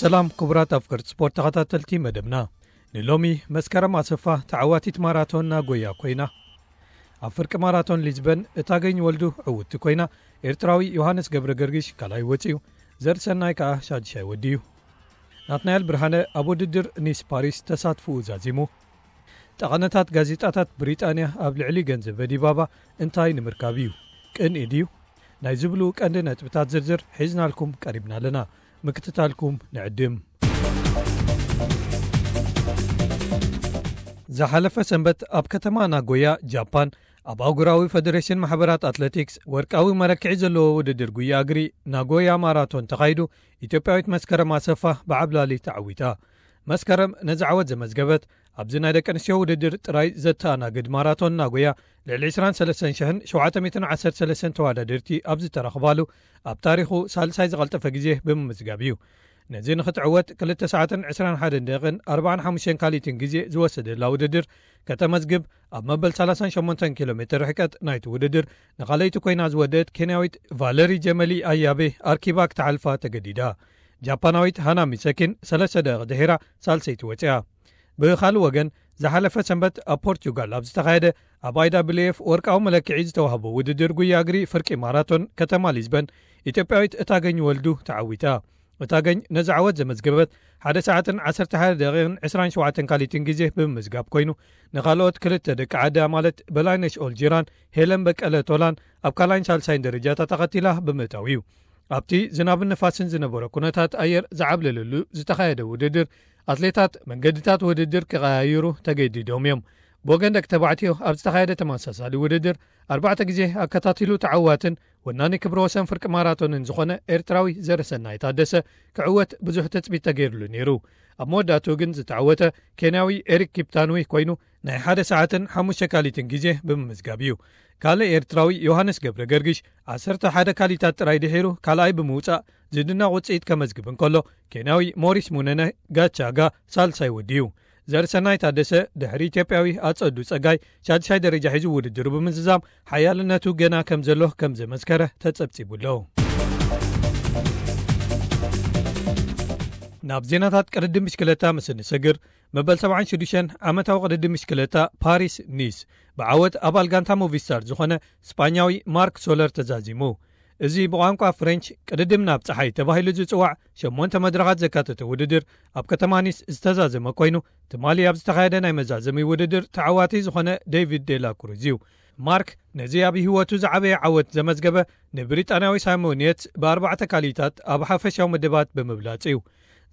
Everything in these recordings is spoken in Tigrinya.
ሰላም ክቡራት ኣፍቀርቲ ስፖርት ተኸታተልቲ መደብና። ንሎሚ መስከረም ኣሰፋ ተዓዋቲት ማራቶን ናጎያ ኮይና። ኣብ ፍርቂ ማራቶን ሊዝበን እታገኝ ወልዱ ዕውትቲ ኮይና፣ ኤርትራዊ ዮሃንስ ገብረ ገርጊሽ ካልኣይ ወጺኡ፣ ዘርሰናይ ከኣ ሻድሻይ ወዲዩ። ናትናኤል ብርሃነ ኣብ ውድድር ኒስ ፓሪስ ተሳትፍኡ ዛዚሙ። ጠቐነታት ጋዜጣታት ብሪጣንያ ኣብ ልዕሊ ገንዘበ ዲባባ እንታይ ንምርካብ እዩ? ቅንኢ ድዩ? ናይ ዝብሉ ቀንዲ ነጥብታት ዝርዝር ሒዝናልኩም ቀሪብና ኣለና። ምክትታልኩም ንዕድም። ዝሓለፈ ሰንበት ኣብ ከተማ ናጎያ ጃፓን ኣብ ኣህጉራዊ ፈደሬሽን ማሕበራት ኣትሌቲክስ ወርቃዊ መለክዒ ዘለዎ ውድድር ጉያ እግሪ ናጎያ ማራቶን ተኻይዱ፣ ኢትዮጵያዊት መስከረም ኣሰፋ ብዓብላሊ ተዓዊታ። መስከረም ነዚ ዓወት ዘመዝገበት ኣብዚ ናይ ደቂ ኣንስትዮ ውድድር ጥራይ ዘተኣናግድ ማራቶን ናጎያ ልዕሊ ዕስራን ሰለስተን ሽሕን ሸውዓተ ሚእትን ዓሰርተ ሰለስተን ተወዳደርቲ ኣብ ዝተረኽባሉ ኣብ ታሪኹ ሳልሳይ ዝቐልጠፈ ግዜ ብምምዝጋብ እዩ። ነዚ ንኽትዕወት ክልተ ሰዓትን ዕስራን ሓደን ደቂቕን ኣርባዓን ሓሙሽተን ካሊትን ግዜ ዝወሰደላ ውድድር ከተመዝግብ ኣብ መበል ሰላሳን ሸሞንተን ኪሎ ሜትር ርሕቀት ናይቲ ውድድር ንኻለይቲ ኮይና ዝወደአት ኬንያዊት ቫለሪ ጀመሊ ኣያቤ ኣርኪባ ክትሓልፋ ተገዲዳ። ጃፓናዊት ሃና ሚሰኪን ሰለስተ ደቂቕ ድሒራ ሳልሰይቲ ወፂኣ። ብኻልእ ወገን ዝሓለፈ ሰንበት ኣብ ፖርቹጋል ኣብ ዝተኻየደ ኣብ ኣይዳብልኤፍ ወርቃዊ መለክዒ ዝተዋህቦ ውድድር ጉያ እግሪ ፍርቂ ማራቶን ከተማ ሊዝበን ኢትዮጵያዊት እታገኝ ወልዱ ተዓዊታ። እታገኝ ነዚ ዓወት ዘመዝገበት ሓደ ሰዓትን ዓሰርተ ሓደ ደቂቕን ዕስራን ሸውዓተን ካሊትን ግዜ ብምምዝጋብ ኮይኑ፣ ንኻልኦት ክልተ ደቂ ዓዳ ማለት በላይነሽ ኦልጂራን ሄለን በቀለ ቶላን ኣብ ካልኣይን ሳልሳይን ደረጃታት ኣኸቲላ ብምእታው እዩ። ኣብቲ ዝናብን ንፋስን ዝነበሮ ኩነታት ኣየር ዝዓብለለሉ ዝተኻየደ ውድድር ኣትሌታት መንገድታት ውድድር ክቐያይሩ ተገዲዶም እዮም። ብወገን ደቂ ተባዕትዮ ኣብ ዝተኻየደ ተመሳሳሊ ውድድር ኣርባዕተ ግዜ ኣከታቲሉ ተዓዋትን ወናኒ ክብረ ወሰን ፍርቂ ማራቶንን ዝኾነ ኤርትራዊ ዘርሰናይ ታደሰ ክዕወት ብዙሕ ትጽቢት ተገይሩሉ ነይሩ። ኣብ መወዳእትኡ ግን ዝተዓወተ ኬንያዊ ኤሪክ ኪፕታንዊ ኮይኑ ናይ ሓደ ሰዓትን ሓሙሽተ ካሊትን ግዜ ብምምዝጋብ እዩ። ካልእ ኤርትራዊ ዮሃንስ ገብረ ገርግሽ ዓሰርተ ሓደ ካሊታት ጥራይ ድሒሩ ካልኣይ ብምውጻእ ዝድነቕ ውጽኢት ከመዝግብ እንከሎ፣ ኬንያዊ ሞሪስ ሙነነ ጋቻጋ ሳልሳይ ወዲዩ። ዘርሰናይ ታደሰ ድሕሪ ኢትዮጵያዊ ኣጸዱ ጸጋይ ሻድሻይ ደረጃ ሒዙ ውድድሩ ብምዝዛም ሓያልነቱ ገና ከም ዘሎ ከም ዘመስከረ ተጸብጺቡ ኣሎ። ናብ ዜናታት ቅድድም ብሽክለታ ምስ እንሰግር፣ መበል ሰብዓን ሽዱሽተን ዓመታዊ ቅድድም ብሽክለታ ፓሪስ ኒስ ብዓወት ኣባል ጋንታ ሞቪስታር ዝኾነ ስጳኛዊ ማርክ ሶለር ተዛዚሙ። እዚ ብቋንቋ ፍሬንች ቅድድም ናብ ጸሓይ ተባሂሉ ዝጽዋዕ ሸሞንተ መድረኻት ዘካተተ ውድድር ኣብ ከተማ ኒስ ዝተዛዘመ ኮይኑ፣ ትማሊ ኣብ ዝተኻየደ ናይ መዛዘሚ ውድድር ተዓዋቲ ዝኾነ ዴቪድ ዴላ ክሩዝ እዩ። ማርክ ነዚ ኣብ ህይወቱ ዝዓበየ ዓወት ዘመዝገበ ንብሪጣንያዊ ሳይሞን የትስ ብኣርባዕተ ካሊታት ኣብ ሓፈሻዊ ምድባት ብምብላጽ እዩ።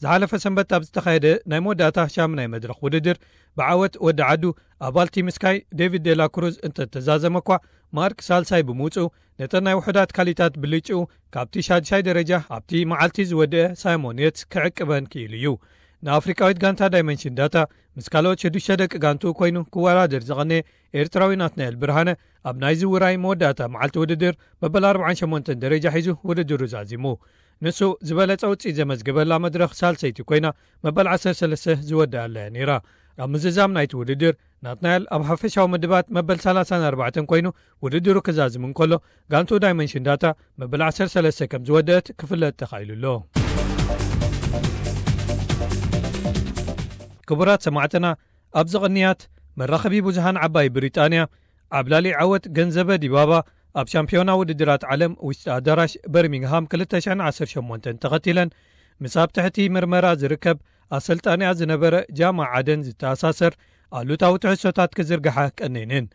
ዝሓለፈ ሰንበት ኣብ ዝተኻየደ ናይ መወዳእታ ሻምናይ መድረኽ ውድድር ብዓወት ወዲ ዓዱ ኣባል ቲም ስካይ ዴቪድ ዴላ ክሩዝ እንተተዛዘመ እኳ፣ ማርክ ሳልሳይ ብምውጽኡ ነተን ናይ ውሑዳት ካሊታት ብልጭኡ ካብቲ ሻድሻይ ደረጃ ኣብቲ መዓልቲ ዝወደአ ሳይሞን የትስ ክዕቅበን ክኢሉ እዩ። ንኣፍሪቃዊት ጋንታ ዳይመንሽን ዳታ ምስ ካልኦት ሽዱሽተ ደቂ ጋንቱ ኮይኑ ክወዳደር ዝቐነየ ኤርትራዊ ናትናኤል ብርሃነ ኣብ ናይ ዝውራይ መወዳእታ መዓልቲ ውድድር መበል ኣርባዓን ሸሞንተን ደረጃ ሒዙ ውድድሩ ዛዚሙ። ንሱ ዝበለጸ ውጽኢት ዘመዝገበላ መድረኽ ሳልሰይቲ ኮይና መበል ዓሰርተ ሰለስተ ዝወደኣላ እያ ነይራ። ኣብ ምዝዛም ናይቲ ውድድር ናትናኤል ኣብ ሓፈሻዊ ምድባት መበል ሰላሳን ኣርባዕተን ኮይኑ ውድድሩ ክዛዝም እንከሎ፣ ጋንቱ ዳይመንሽን ዳታ መበል ዓሰርተ ሰለስተ ከም ዝወደአት ክፍለጥ ተኻኢሉ ኣሎ። ክቡራት ሰማዕትና፣ ኣብዚ ቅንያት መራኸቢ ብዙሃን ዓባይ ብሪጣንያ ዓብላሊ ዓወት ገንዘበ ዲባባ ኣብ ሻምፒዮና ውድድራት ዓለም ውሽጢ ኣዳራሽ በርሚንግሃም ክልተ ሽሕን ዓሰርተ ሸሞንተን ተኸቲለን፣ ምስ ኣብ ትሕቲ ምርመራ ዝርከብ ኣሰልጣኒኣ ዝነበረ ጃማ ዓደን ዝተኣሳሰር ኣሉታዊ ትሕዝቶታት ክዝርግሓ ቀኒነን።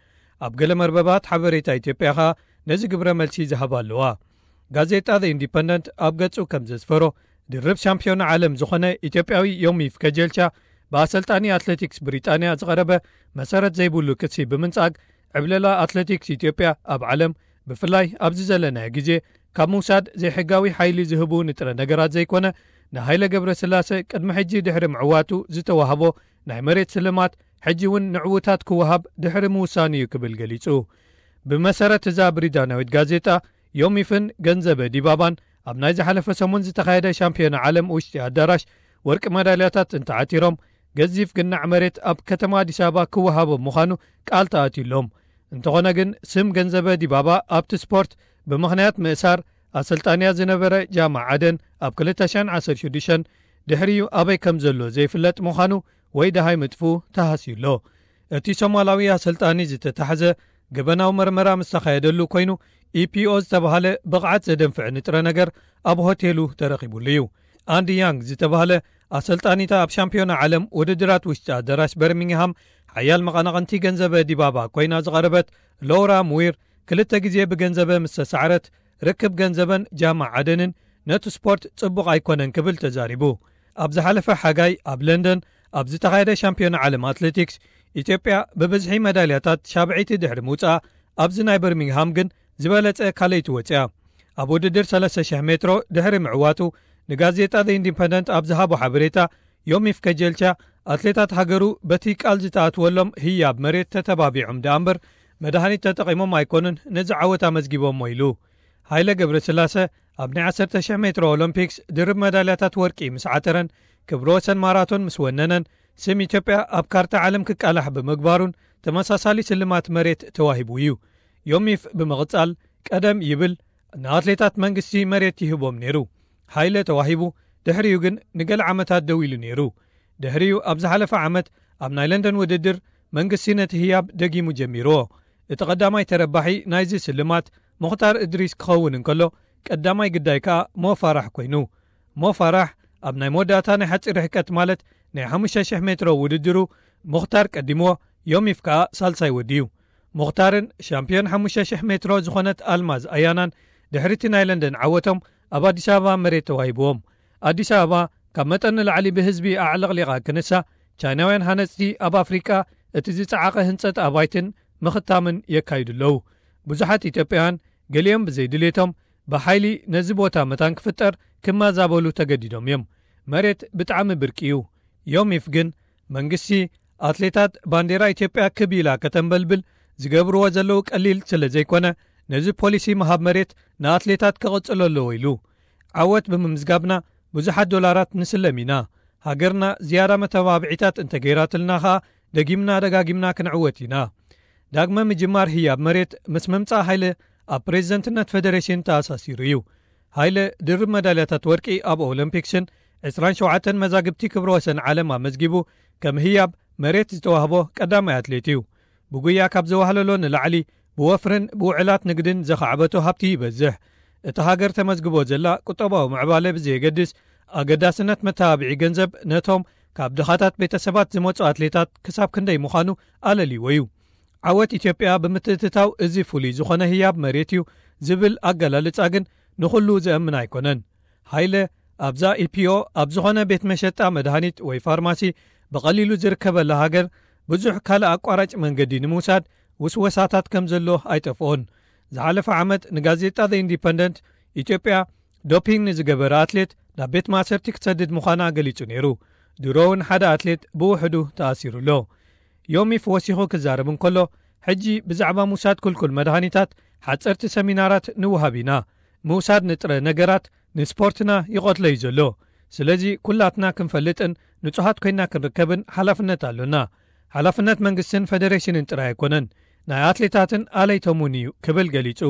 ኣብ ገለ መርበባት ሓበሬታ ኢትዮጵያ ኸኣ ነዚ ግብረ መልሲ ዝሃባ ኣለዋ። ጋዜጣ ዘ ኢንዲፐንደንት ኣብ ገጹ ከም ዘስፈሮ፣ ድርብ ሻምፒዮን ዓለም ዝኾነ ኢትዮጵያዊ ዮሚፍ ከጀልቻ ብኣሰልጣኒ ኣትሌቲክስ ብሪጣንያ ዝቐረበ መሰረት ዘይብሉ ክሲ ብምንጻግ፣ ዕብለላ ኣትሌቲክስ ኢትዮጵያ ኣብ ዓለም፣ ብፍላይ ኣብዚ ዘለናዮ ግዜ፣ ካብ ምውሳድ ዘይሕጋዊ ሓይሊ ዝህቡ ንጥረ ነገራት ዘይኮነ፣ ንሃይለ ገብረስላሰ ቅድሚ ሕጂ ድሕሪ ምዕዋቱ ዝተዋህቦ ናይ መሬት ስልማት፣ ሕጂ እውን ንዕዉታት ክወሃብ ድሕሪ ምውሳኑ እዩ ክብል ገሊጹ። ብመሰረት እዛ ብሪጣንያዊት ጋዜጣ፣ ዮሚፍን ገንዘበ ዲባባን ኣብ ናይ ዝሓለፈ ሰሙን ዝተኻየደ ሻምፒዮና ዓለም ውሽጢ ኣዳራሽ ወርቂ መዳልያታት እንተዓቲሮም፣ ገዚፍ ግናዕ መሬት ኣብ ከተማ ኣዲስ ኣበባ ክወሃቦም ምዃኑ ቃል ተኣትዩሎም። እንተኾነ ግን፣ ስም ገንዘበ ዲባባ ኣብቲ ስፖርት ብምኽንያት ምእሳር ኣሰልጣንያ ዝነበረ ጃማ ዓደን ኣብ ክልተ ሽሕን ዓሰርተ ሽዱሽተን፣ ድሕሪኡ ኣበይ ከም ዘሎ ዘይፍለጥ ምዃኑ ወይ ደሃይ ምጥፍኡ ተሃስዩ ኣሎ። እቲ ሶማላዊ ኣሰልጣኒ ዝተታሕዘ ገበናዊ መርመራ ምስ ተኻየደሉ ኮይኑ፣ ኢፒኦ ዝተባህለ ብቕዓት ዘደንፍዕ ንጥረ ነገር ኣብ ሆቴሉ ተረኺቡሉ እዩ። ኣንዲ ያንግ ዝተባህለ ኣሰልጣኒታ ኣብ ሻምፒዮና ዓለም ውድድራት ውሽጢ ኣዳራሽ በርሚንግሃም ሓያል መቐናቕንቲ ገንዘበ ዲባባ ኮይና ዝቐረበት ሎውራ ሙዊር፣ ክልተ ግዜ ብገንዘበ ምስ ተሳዕረት፣ ርክብ ገንዘበን ጃማ ዓደንን ነቲ ስፖርት ጽቡቕ ኣይኮነን ክብል ተዛሪቡ። ኣብ ዝሓለፈ ሓጋይ ኣብ ለንደን ኣብ ዝተኻየደ ሻምፒዮና ዓለም ኣትሌቲክስ፣ ኢትዮጵያ ብብዝሒ መዳልያታት ሻብዐይቲ ድሕሪ ምውጻኣ፣ ኣብዚ ናይ በርሚንግሃም ግን ዝበለጸ ካልኣይቲ ወጺኣ። ኣብ ውድድር ሰለስተ ሽሕ ሜትሮ ድሕሪ ምዕዋቱ፣ ንጋዜጣ ዘ ኢንዲፐንደንት ኣብ ዝሃቦ ሓበሬታ፣ ዮሚፍ ከጀልቻ ኣትሌታት ሃገሩ በቲ ቃል ዝተኣትወሎም ህያብ መሬት ተተባቢዖም ደኣ እምበር፣ መድሃኒት ተጠቒሞም ኣይኮኑን ነዚ ዓወት ኣመዝጊቦሞ ኢሉ። ሃይለ ገብረስላሰ ኣብ ናይ ዓሰርተ ሽሕ ሜትሮ ኦሎምፒክስ ድርብ መዳልያታት ወርቂ ምስ ዓተረን ክብረ ወሰን ማራቶን ምስ ወነነን፣ ስም ኢትዮጵያ ኣብ ካርታ ዓለም ክቃላሕ ብምግባሩን ተመሳሳሊ ስልማት መሬት ተዋሂቡ እዩ። ዮሚፍ ብምቕጻል፣ ቀደም ይብል፣ ንኣትሌታት መንግስቲ መሬት ይህቦም ነይሩ። ሃይለ ተዋሂቡ፣ ድሕሪኡ ግን ንገለ ዓመታት ደው ኢሉ ነይሩ። ድሕሪኡ ኣብ ዝሓለፈ ዓመት ኣብ ናይ ለንደን ውድድር መንግስቲ ነቲ ህያብ ደጊሙ ጀሚርዎ። እቲ ቀዳማይ ተረባሒ ናይዚ ስልማት ሙኽታር እድሪስ ክኸውን እንከሎ፣ ቀዳማይ ግዳይ ከኣ ሞ ፋራሕ ኮይኑ። ሞ ፋራሕ ኣብ ናይ መወዳእታ ናይ ሓጺር ርሕቀት ማለት ናይ ሓሙሽተ ሽሕ ሜትሮ ውድድሩ ሙኽታር ቀዲምዎ፣ ዮሚፍ ከኣ ሳልሳይ ወዲዩ። ሙኽታርን ሻምፒዮን ሓሙሽተ ሽሕ ሜትሮ ዝኾነት ኣልማዝ ኣያናን ድሕሪቲ ናይ ለንደን ዓወቶም ኣብ ኣዲስ ኣበባ መሬት ተዋሂብዎም። ኣዲስ ኣበባ ካብ መጠን ንላዕሊ ብህዝቢ ኣዕለቕሊቓ ክንሳ፣ ቻይናውያን ሃነጽቲ ኣብ ኣፍሪቃ እቲ ዝጸዓቐ ህንጸት ኣባይትን ምኽታምን የካይዱ ኣለዉ። ብዙሓት ኢትዮጵያውያን ገሊኦም ብዘይድሌቶም ብሓይሊ ነዚ ቦታ መታን ክፍጠር ክመዛበሉ ተገዲዶም እዮም። መሬት ብጣዕሚ ብርቂ እዩ። ዮሚፍ ግን መንግስቲ ኣትሌታት ባንዴራ ኢትዮጵያ ክብ ኢላ ከተንበልብል ዝገብርዎ ዘለዉ ቀሊል ስለ ዘይኮነ፣ ነዚ ፖሊሲ ምሃብ መሬት ንኣትሌታት ክቕጽሎ ኣለዎ ኢሉ። ዓወት ብምምዝጋብና ብዙሓት ዶላራት ንስለም ኢና። ሃገርና ዝያዳ መተባብዒታት እንተገይራትልና ኸኣ ደጊምና ደጋጊምና ክንዕወት ኢና። ዳግመ ምጅማር ህያብ መሬት ምስ ምምጻእ ሃይለ ኣብ ፕሬዝደንትነት ፌደሬሽን ተኣሳሲሩ እዩ። ሃይለ ድርብ መዳልያታት ወርቂ ኣብ ኦሎምፒክስን ዕስራን ሸውዓተን መዛግብቲ ክብረ ወሰን ዓለም ኣመዝጊቡ፣ ከም ህያብ መሬት ዝተዋህቦ ቀዳማይ ኣትሌት እዩ። ብጉያ ካብ ዘዋህለሎ ንላዕሊ ብወፍርን ብውዕላት ንግድን ዘኻዕበቶ ሃብቲ ይበዝሕ። እታ ሃገር ተመዝግቦ ዘላ ቁጠባዊ ምዕባለ ብዘየገድስ፣ ኣገዳስነት መተባብዒ ገንዘብ ነቶም ካብ ድኻታት ቤተሰባት ዝመጹ ኣትሌታት ክሳብ ክንደይ ምዃኑ ኣለልይዎ እዩ። ዓወት ኢትዮጵያ ብምትእትታው እዚ ፍሉይ ዝኾነ ህያብ መሬት እዩ ዝብል ኣገላልጻ ግን ንኹሉ ዘእምን ኣይኮነን። ሃይለ ኣብዛ ኢፒኦ ኣብ ዝኾነ ቤት መሸጣ መድሃኒት ወይ ፋርማሲ ብቐሊሉ ዝርከበላ ሃገር ብዙሕ ካልእ ኣቋራጭ መንገዲ ንምውሳድ ውስወሳታት ከም ዘሎ ኣይጠፍኦን። ዝሓለፈ ዓመት ንጋዜጣ ዘ ኢንዲፐንደንት፣ ኢትዮጵያ ዶፒንግ ንዝገበረ ኣትሌት ናብ ቤት ማእሰርቲ ክትሰድድ ምዃና ገሊጹ ነይሩ። ድሮ እውን ሓደ ኣትሌት ብውሕዱ ተኣሲሩ ኣሎ። ዮሚፍ ወሲኹ ክዛረብ እንከሎ፣ ሕጂ ብዛዕባ ምውሳድ ክልኩል መድሃኒታት ሓጸርቲ ሰሚናራት ንውሃብ ኢና። ምውሳድ ንጥረ ነገራት ንስፖርትና ይቐትሎ እዩ ዘሎ። ስለዚ ኩላትና ክንፈልጥን ንጹሃት ኮይና ክንርከብን ሓላፍነት ኣሎና። ሓላፍነት መንግስትን ፈደሬሽንን ጥራይ ኣይኮነን፣ ናይ ኣትሌታትን ኣለይቶም እውን እዩ ክብል ገሊጹ።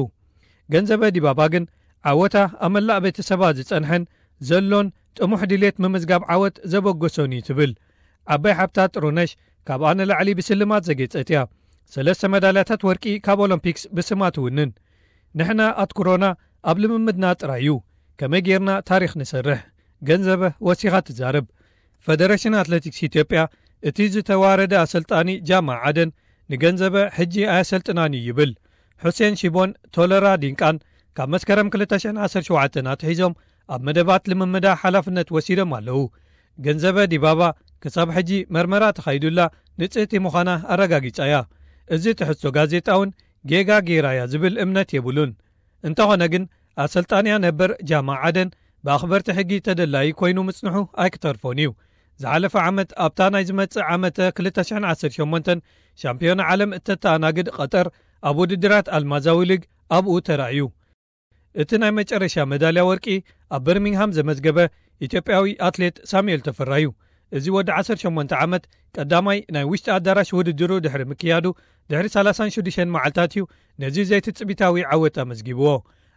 ገንዘበ ዲባባ ግን ዓወታ ኣብ መላእ ቤተሰባ ዝጸንሐን ዘሎን ጥሙሕ ድሌት ምምዝጋብ ዓወት ዘበገሶን እዩ ትብል። ዓባይ ሓብታ ጥሩነሽ ካብኣ ንላዕሊ ብስልማት ዘጌጸት እያ። ሰለስተ መዳልያታት ወርቂ ካብ ኦሎምፒክስ ብስማ ትውንን። ንሕና ኣትኩሮና ኣብ ልምምድና ጥራይ እዩ። ከመይ ጌርና ታሪኽ ንሰርሕ? ገንዘበ ወሲኻ ትዛረብ። ፈደረሽን ኣትሌቲክስ ኢትዮጵያ እቲ ዝተዋረደ ኣሰልጣኒ ጃማ ዓደን ንገንዘበ ሕጂ ኣየሰልጥናን እዩ ይብል። ሑሴን ሺቦን ቶለራ ዲንቃን ካብ መስከረም ክልተ ሽሕን ዓሰርተ ሸውዓተን ኣትሒዞም ኣብ መደባት ልምምዳ ሓላፍነት ወሲዶም ኣለዉ። ገንዘበ ዲባባ ክሳብ ሕጂ መርመራ ተኻይዱላ ንጽህቲ ምዃና ኣረጋጊጻ እያ። እዚ ትሕዝቶ ጋዜጣ እውን ጌጋ ጌራ እያ ዝብል እምነት የብሉን። እንተኾነ ግን ኣሰልጣንያ ነበር ጃማ ዓደን ብኣኽበርቲ ሕጊ ተደላዪ ኮይኑ ምጽንሑ ኣይክተርፎን እዩ። ዝሓለፈ ዓመት ኣብታ ናይ ዝመጽእ ዓመተ ክልተ ሽሕን ዓሰርተ ሸሞንተን ሻምፒዮና ዓለም እተተኣናግድ ቐጠር ኣብ ውድድራት ኣልማዛዊ ሊግ ኣብኡ ተራእዩ። እቲ ናይ መጨረሻ መዳልያ ወርቂ ኣብ በርሚንግሃም ዘመዝገበ ኢትዮጵያዊ ኣትሌት ሳሙኤል ተፈራ እዩ። እዚ ወዲ ዓሰርተ ሸሞንተ ዓመት ቀዳማይ ናይ ውሽጢ ኣዳራሽ ውድድሩ ድሕሪ ምክያዱ ድሕሪ ሰላሳን ሽዱሽተን መዓልታት እዩ ነዚ ዘይትጽቢታዊ ዓወት ኣመዝጊብዎ።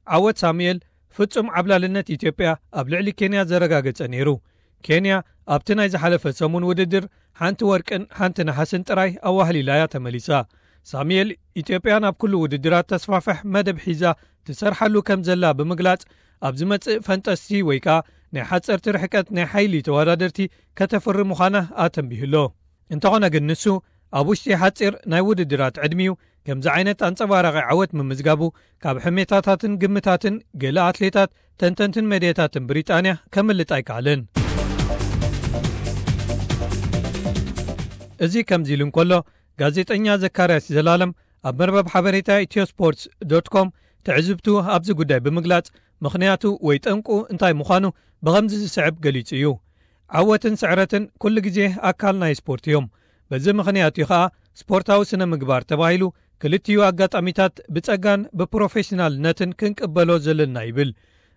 ዓወት ሳሙኤል ፍጹም ዓብላልነት ኢትዮጵያ ኣብ ልዕሊ ኬንያ ዘረጋገጸ ነይሩ። ኬንያ ኣብቲ ናይ ዝሓለፈ ሰሙን ውድድር ሓንቲ ወርቅን ሓንቲ ነሓስን ጥራይ ኣዋህሊላ እያ ተመሊሳ። ሳሙኤል፣ ኢትዮጵያ ናብ ኩሉ ውድድራት ተስፋፍሕ መደብ ሒዛ ትሰርሓሉ ከም ዘላ ብምግላጽ፣ ኣብ ዝመጽእ ፈንጠስቲ ወይ ከኣ ናይ ሓጸርቲ ርሕቀት ናይ ሓይሊ ተወዳደርቲ ከተፍሪ ምዃና ኣተንቢሁሎ። እንተኾነ ግን ንሱ፣ ኣብ ውሽጢ ሓጺር ናይ ውድድራት ዕድሚኡ ከምዚ ዓይነት ኣንጸባራቒ ዓወት ምምዝጋቡ፣ ካብ ሕሜታታትን ግምታትን ገለ ኣትሌታት፣ ተንተንትን መድያታትን ብሪጣንያ ከምልጥ ኣይከኣለን። እዚ ከምዚ ኢሉ እንከሎ፣ ጋዜጠኛ ዘካርያስ ዘላለም ኣብ መርበብ ሓበሬታ ኢትዮ ስፖርትስ ዶት ኮም ትዕዝብቱ ኣብዚ ጉዳይ ብምግላጽ፣ ምኽንያቱ ወይ ጠንቁ እንታይ ምዃኑ ብኸምዚ ዝስዕብ ገሊጹ እዩ። ዓወትን ስዕረትን ኩሉ ግዜ ኣካል ናይ ስፖርት እዮም። በዚ ምኽንያት እዩ ኸኣ ስፖርታዊ ስነ ምግባር ተባሂሉ ክልቲኡ ኣጋጣሚታት ብጸጋን ብፕሮፌሽናልነትን ክንቅበሎ ዘለና ይብል።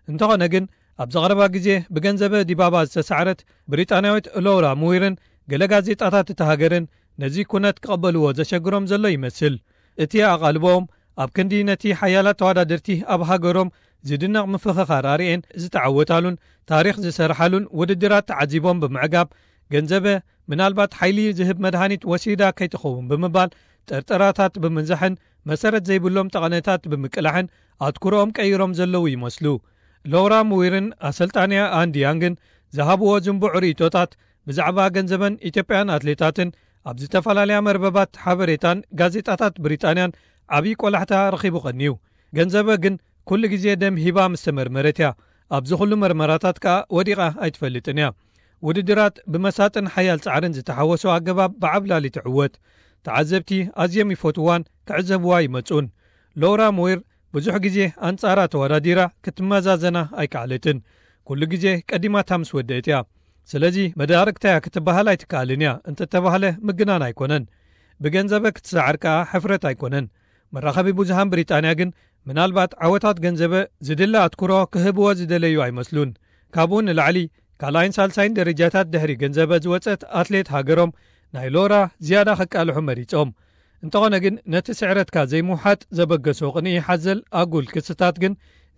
እንተኾነ ግን፣ ኣብዚ ቀረባ ግዜ ብገንዘበ ዲባባ ዝተሳዕረት ብሪጣንያዊት ሎውራ ሙዊርን ገለ ጋዜጣታት እታ ሃገርን ነዚ ኩነት ክቐበልዎ ዘሸግሮም ዘሎ ይመስል። እቲ ኣቓልቦኦም ኣብ ክንዲ ነቲ ሓያላት ተወዳደርቲ ኣብ ሃገሮም ዝድነቕ ምፍኽኻር ኣርእየን ዝተዓወታሉን ታሪኽ ዝሰርሓሉን ውድድራት ተዓዚቦም ብምዕጋብ፣ ገንዘበ ምናልባት ሓይሊ ዝህብ መድሃኒት ወሲዳ ከይትኸውን ብምባል ጥርጠራታት ብምንዛሕን መሰረት ዘይብሎም ጠቐነታት ብምቅላሕን ኣትኩሮኦም ቀይሮም ዘለዉ ይመስሉ። ሎውራ ሙዊርን ኣሰልጣንያ ኣንዲ ያንግን ዝሃብዎ ዝንቡዕ ርእይቶታት ብዛዕባ ገንዘበን ኢትዮጵያን ኣትሌታትን ኣብ ዝተፈላለያ መርበባት ሓበሬታን ጋዜጣታት ብሪጣንያን ዓብዪ ቆላሕታ ረኺቡ ቀንዩ። ገንዘበ ግን ኩሉ ግዜ ደም ሂባ ምስ ተመርመረት እያ። ኣብዚ ኩሉ መርመራታት ከኣ ወዲቓ ኣይትፈልጥን እያ። ውድድራት ብመሳጥን ሓያል ጻዕርን ዝተሓወሶ ኣገባብ ብዓብላሊ ትዕወት። ተዓዘብቲ ኣዝዮም ይፈትዋን ክዕዘብዋ ይመጹን። ሎውራ ሙዊር ብዙሕ ግዜ ኣንጻራ ተወዳዲራ ክትመዛዘና ኣይከኣለትን። ኩሉ ግዜ ቀዲማታ ምስ ወደእት እያ። ስለዚ መዳርግታ እያ ክትበሃል ኣይትከኣልን እያ እንተተባህለ ምግናን ኣይኮነን። ብገንዘበ ክትሰዓር ከኣ ሕፍረት ኣይኮነን። መራኸቢ ብዙሃን ብሪጣንያ ግን ምናልባት ዓወታት ገንዘበ ዝድለ ኣትኩሮ ክህብዎ ዝደለዩ ኣይመስሉን። ካብኡ ንላዕሊ ካልኣይን ሳልሳይን ደረጃታት ድሕሪ ገንዘበ ዝወጸት ኣትሌት ሃገሮም ናይ ሎራ ዝያዳ ከቃልሑ መሪጾም። እንተኾነ ግን ነቲ ስዕረትካ ዘይምውሓጥ ዘበገሶ ቅንኢ ሓዘል ኣጉል ክስታት ግን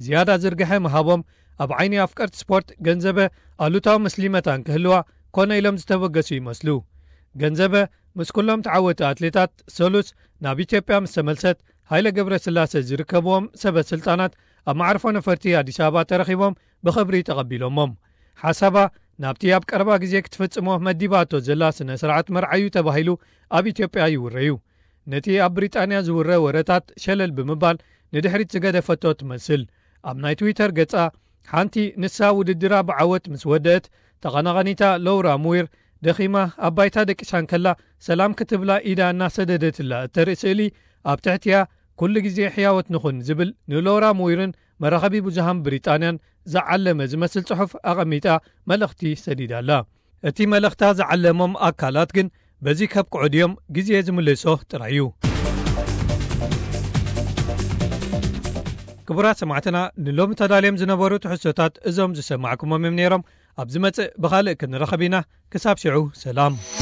ዝያዳ ዝርግሐ ምሃቦም ኣብ ዓይኒ ኣፍቀርቲ ስፖርት ገንዘበ ኣሉታዊ ምስሊመታን ክህልዋ ኮነ ኢሎም ዝተበገሱ ይመስሉ። ገንዘበ ምስ ኩሎም ተዓወቲ ኣትሌታት ሰሉስ ናብ ኢትዮጵያ ምስ ተመልሰት፣ ሃይለ ገብረስላሴ ዝርከብዎም ሰበ ስልጣናት ኣብ መዓርፎ ነፈርቲ ኣዲስ ኣበባ ተረኺቦም ብኽብሪ ተቐቢሎሞም። ሓሳባ ናብቲ ኣብ ቀረባ ግዜ ክትፍጽሞ መዲባቶ ዘላ ስነ ስርዓት መርዓዩ ተባሂሉ ኣብ ኢትዮጵያ ይውረዩ። ነቲ ኣብ ብሪጣንያ ዝውረ ወረታት ሸለል ብምባል ንድሕሪት ዝገደፈቶ ትመስል። ኣብ ናይ ትዊተር ገጻ ሓንቲ ንሳ ውድድራ ብዓወት ምስ ወደእት፣ ተቐናቐኒታ ሎውራ ሙዊር ደኺማ ኣብ ባይታ ደቂሳ እንከላ ሰላም ክትብላ ኢዳ እናሰደደትላ እተርኢ ስእሊ፣ ኣብ ትሕቲኣ "ኩሉ ግዜ ሕያወት ንኹን" ዝብል ንሎውራ ሙዊርን መራኸቢ ብዙሃን ብሪጣንያን ዝዓለመ ዝመስል ጽሑፍ ኣቐሚጣ መልእኽቲ ሰዲዳ ኣላ። እቲ መልእኽታ ዝዓለሞም ኣካላት ግን በዚ ከብቅዑ ድዮም ግዜ ዝምልሶ ጥራይ እዩ። ክቡራት ሰማዕትና፣ ንሎሚ ተዳልዮም ዝነበሩ ትሕዝቶታት እዞም ዝሰማዕኩሞም እዮም ነይሮም። ኣብ ዝመጽእ ብኻልእ ክንረኸብ ኢና። ክሳብ ሽዑ ሰላም።